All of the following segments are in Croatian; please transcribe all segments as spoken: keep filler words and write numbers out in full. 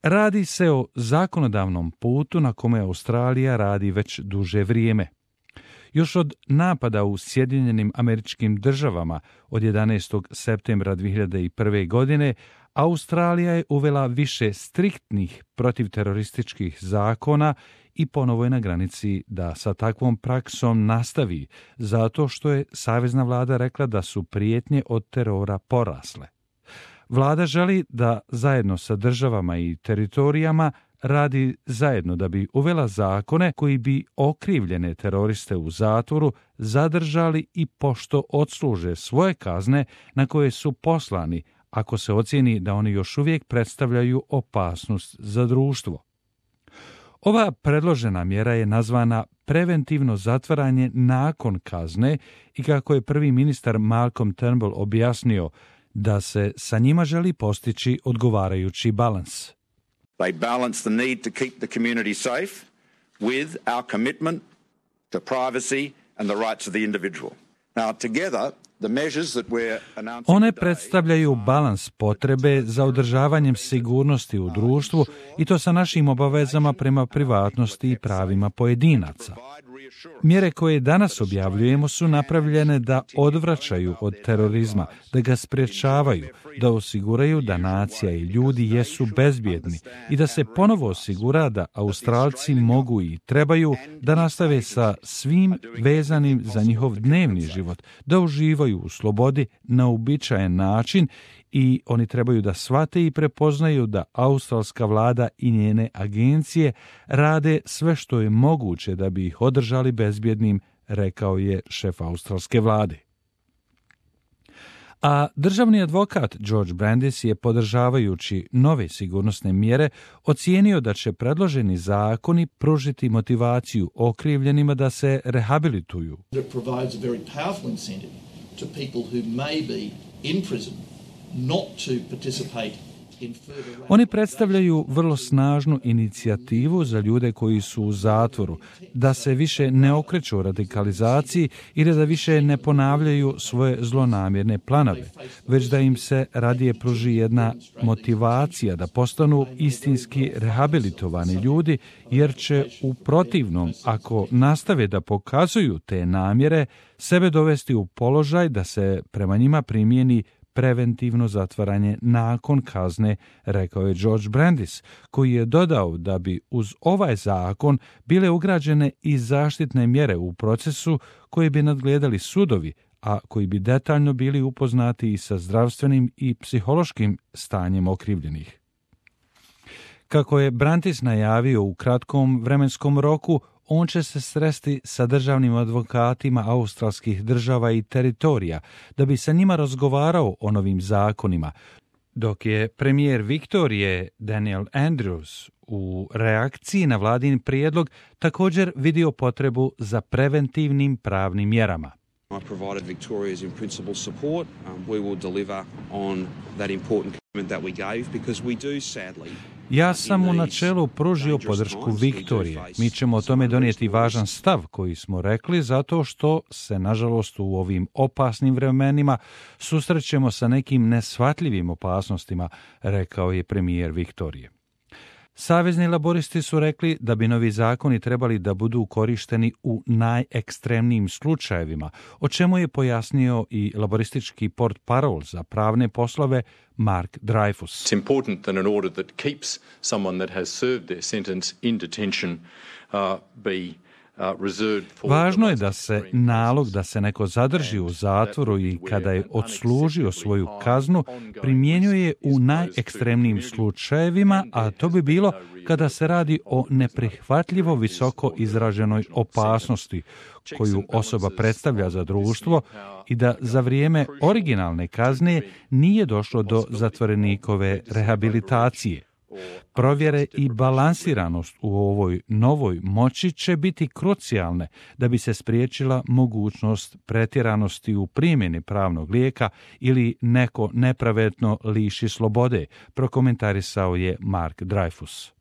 Radi se o zakonodavnom putu na kome Australija radi već duže vrijeme. Još od napada u Sjedinjenim Američkim Državama od jedanaestog septembra dvije hiljade prve. godine Australija je uvela više striktnih protivterorističkih zakona i ponovo je na granici da sa takvom praksom nastavi, zato što je savezna vlada rekla da su prijetnje od terora porasle. Vlada želi da zajedno sa državama i teritorijama radi zajedno da bi uvela zakone koji bi okrivljene teroriste u zatvoru zadržali i pošto odsluže svoje kazne na koje su poslani, ako se ocijeni da oni još uvijek predstavljaju opasnost za društvo. Ova predložena mjera je nazvana preventivno zatvaranje nakon kazne i kako je prvi ministar Malcolm Turnbull objasnio da se sa njima želi postići odgovarajući balans. They balance the need to keep the community safe with our commitment to privacy and the rights of the individual. Now together the measures that we're announcing One today predstavljaju balans potrebe za održavanjem sigurnosti u društvu i to sa našim obavezama prema privatnosti i pravima pojedinaca. Mjere koje danas objavljujemo su napravljene da odvraćaju od terorizma, da ga sprječavaju, da osiguraju da nacija i ljudi jesu bezbjedni i da se ponovo osigura da Australci mogu i trebaju da nastave sa svim vezanim za njihov dnevni život, da uživaju u slobodi na uobičajen način i oni trebaju da shvate i prepoznaju da australska vlada i njene agencije rade sve što je moguće da bi ih održali bezbjednim, rekao je šef australske vlade. A državni advokat George Brandis je, podržavajući nove sigurnosne mjere, ocijenio da će predloženi zakoni pružiti motivaciju okrivljenima da se rehabilituju. It provides a very powerful incentive to people who may be in prison not to participate in further. Oni predstavljaju vrlo snažnu inicijativu za ljude koji su u zatvoru, da se više ne okreću radikalizaciji ili da više ne ponavljaju svoje zlonamjerne planove, već da im se radije pruži jedna motivacija da postanu istinski rehabilitovani ljudi, jer će u protivnom, ako nastave da pokazuju te namjere, sebe dovesti u položaj da se prema njima primijeni preventivno zatvaranje nakon kazne, rekao je George Brandis, koji je dodao da bi uz ovaj zakon bile ugrađene i zaštitne mjere u procesu koje bi nadgledali sudovi, a koji bi detaljno bili upoznati i sa zdravstvenim i psihološkim stanjem okrivljenih. Kako je Brandis najavio u kratkom vremenskom roku, on će se sresti sa državnim advokatima australskih država i teritorija da bi sa njima razgovarao o novim zakonima, dok je premijer Viktorije Daniel Andrews u reakciji na vladin prijedlog također vidio potrebu za preventivnim pravnim mjerama. I provided Victoria's in principle support. Um, we will deliver on that important commitment that we gave because we do sadly. Ja sam u načelu pružio podršku Viktorije. Mi ćemo o tome donijeti važan stav koji smo rekli zato što se, nažalost, u ovim opasnim vremenima susrećemo sa nekim neshvatljivim opasnostima, rekao je premijer Viktorije. Savezni laboristi su rekli da bi novi zakoni trebali da budu korišteni u najekstremnijim slučajevima, o čemu je pojasnio i laboristički portparol za pravne poslove Mark Dreyfus. It's important that an order that keeps someone that has served their sentence in detention uh, be Važno je da se nalog da se neko zadrži u zatvoru i kada je odslužio svoju kaznu primjenjuje u najekstremnijim slučajevima, a to bi bilo kada se radi o neprihvatljivo visoko izraženoj opasnosti koju osoba predstavlja za društvo i da za vrijeme originalne kazne nije došlo do zatvorenikove rehabilitacije. Provjere i balansiranost u ovoj novoj moći će biti krucijalne da bi se spriječila mogućnost pretjeranosti u primjeni pravnog lijeka ili neko nepravedno liši slobode, prokomentarisao je Mark Dreyfus.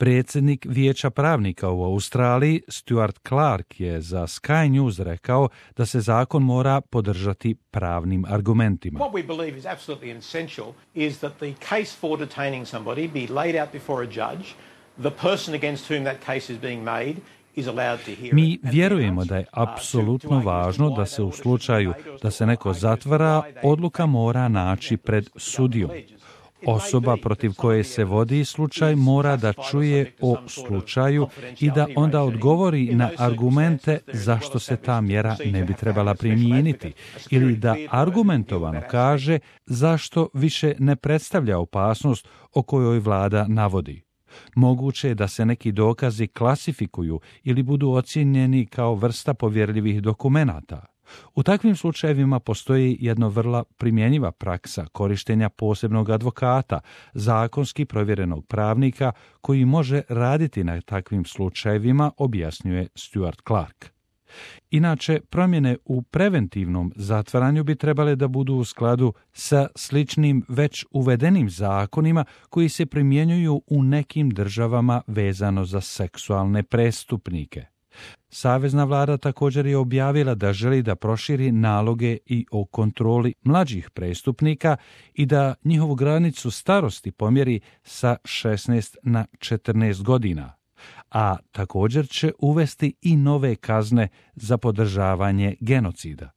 Predsjednik Vijeća pravnika u Australiji, Stuart Clark, je za Sky News rekao da se zakon mora podržati pravnim argumentima. What we believe is absolutely essential is that the case for detaining somebody be laid out before a judge. The person against whom that case is being made is allowed to hear it. Mi vjerujemo da je apsolutno važno da se u slučaju da se neko zatvara, odluka mora naći pred sudijom. Osoba protiv koje se vodi slučaj mora da čuje o slučaju i da onda odgovori na argumente zašto se ta mjera ne bi trebala primijeniti ili da argumentovano kaže zašto više ne predstavlja opasnost o kojoj vlada navodi. Moguće je da se neki dokazi klasifikuju ili budu ocijenjeni kao vrsta povjerljivih dokumenata. U takvim slučajevima postoji jedna vrlo primjenjiva praksa korištenja posebnog advokata, zakonski provjerenog pravnika koji može raditi na takvim slučajevima, objasnjuje Stuart Clark. Inače, promjene u preventivnom zatvaranju bi trebale da budu u skladu sa sličnim već uvedenim zakonima koji se primjenjuju u nekim državama vezano za seksualne prestupnike. Savezna vlada također je objavila da želi da proširi naloge i o kontroli mlađih prestupnika i da njihovu granicu starosti pomjeri sa šesnaest na četrnaest godina, a također će uvesti i nove kazne za podržavanje genocida.